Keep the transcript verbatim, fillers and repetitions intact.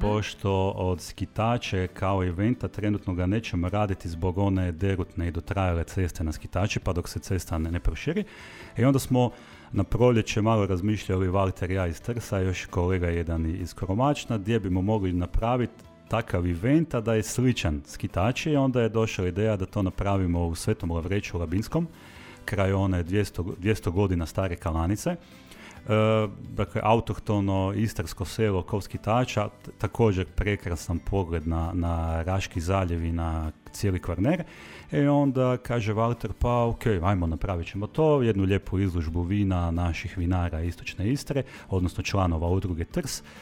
pošto od skitače kao eventa trenutno ga nećemo raditi zbog one derutne i dotrajale ceste na skitači, pa dok se cesta ne, ne proširi. I onda smo na proljeće malo razmišljali Valter, ja iz Trsa, još kolega jedan iz Koromačna, gdje bimo mogli napraviti takav event, a da je sličan skitači, i onda je došla ideja da to napravimo u Svetom Lavreću Labinskom, kraj one dvjesto, dvjesto godina stare kalanice. E, dakle, autohtono istarsko selo kod skitača, t- također prekrasan pogled na, na Raški zaljev i na cijeli Kvarner. I onda kaže Valter, pa ok, ajmo, napravit ćemo to, jednu lijepu izložbu vina naših vinara Istočne Istre, odnosno članova udruge Trs,